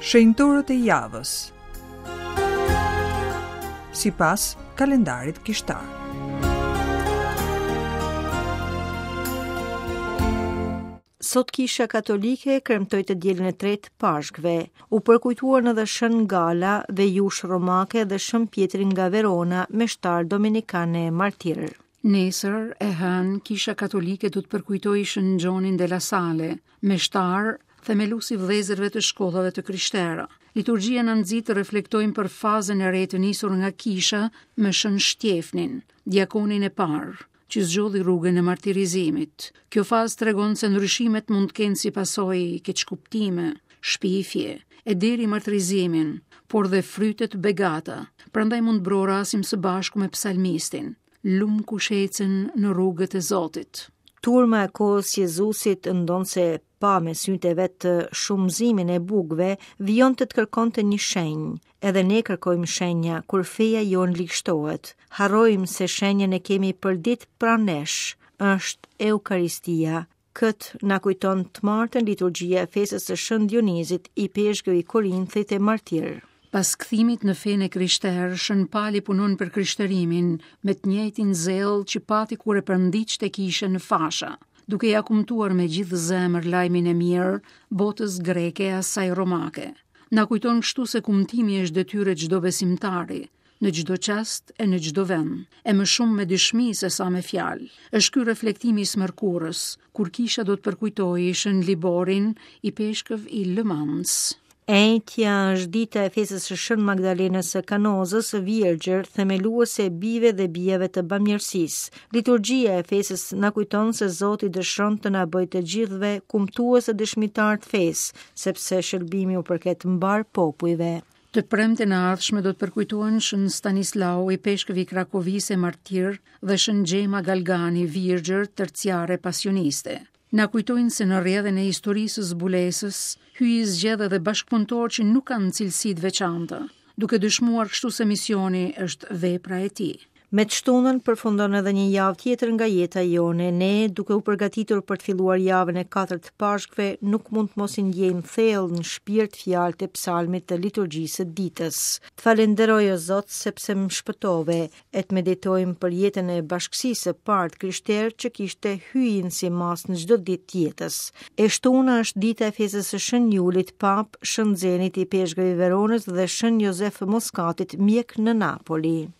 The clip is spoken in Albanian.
Shenjtorët e javës. Sipas kalendarit kishtar. Sot Kisha Katolike kremtoi të dielën e tretë të Pashkëve. U përkujtuan edhe Shën Gala, vejushë romake dhe Shën Pjetri nga Verona, meshtar dominikan e martir. Nesër, e hënë, Kisha Katolike do të përkujtojë Shën Gjonin de la Sale, meshtar, themelues i vëllezërve të shkollave të krishtera. Liturgjia na nxit të reflektojmë për fazën e re të nisur nga Kisha me Shën Shtjefnin, diakonin e parë, që zgjodhi rrugën e martirizimit. Kjo fazë tregon se ndryshimet mund të kenë si pasojë keqkuptime, shpifje, e deri martirizimin, por dhe fryte të begata. Prandaj mund të brohorasim së bashku me psalmistin, lum kush ecën në rrugët e Zotit. Turma e kohës Jezusit, ndonëse pa me sytë e vet shumëzimin e bukëve, vijonte të kërkonte një shenjë. Edhe ne kërkojmë shenja kur feja jonë ligështohet. Harrojmë se shenjën e kemi përditë pranë nesh, është Eukaristia. Këtë na kujton të martën liturgjia e festës së Shën Dionizit, ipeshkëv i Korinthit e martir. Pas kthimit në fenë e krishterë, Shën Pali punon për krishterimin me të njëjtin zell që pati kur e përndiqte kishën në fasha, duke ia kumtuar me gjithë zemër lajmin e mirë botës greke e asaj romake. Na kujton kështu se kumtimi është detyrë e çdo besimtari, në çdo çast e në çdo vend, e më shumë me dëshmi se sa me fjalë. Është ky reflektimi i së mërkurës, kur kisha do të përkujtojë Shën Liborin, ipeshkëv i Le Mans. E enjtja është dita e festës së Shën Magdalenës së Kanozës, virgjër, themeluese e bijve dhe bijave të bamirësisë. Liturgjia e festës na kujton se Zoti dëshiron të na bëjë të gjithëve kumtues e dëshmitarë të fesë, sepse shëlbimi u përket mbarë popujve. Të premten e ardhshme do të përkujtohen Shën Stanislau, ipeshkëv i Krakovisë e martir dhe Shën Xhema Galgani, virgjër, terciare pasioniste. Na kujtojnë se në rrjedhën e historisë së zbulesës, Hyji zgjedh edhe bashkëpunëtorë që nuk kanë cilësi të veçanta, duke dëshmuar kështu se misioni është vepra e tij. Me të shtunën përfundon edhe një javë tjetër nga jeta jonë. Ne, duke u përgatitur për të filluar javën e katërt të Pashkëve, nuk mund të mos i ndjejmë thellë në shpirt fjalët e psalmit të liturgjisë së ditës. Të falënderoj o Zot sepse më shpëtove, e të meditojmë për jetën e bashkësisë së parë të krishterë që kishte Hyjin si masë në çdo ditë të jetës. E shtuna është dita e festës së Shën Julit, Papë, Shën Zenit, ipeshkëv i Veronës dhe Shën Jozef Moskatit, mjek në Napoli.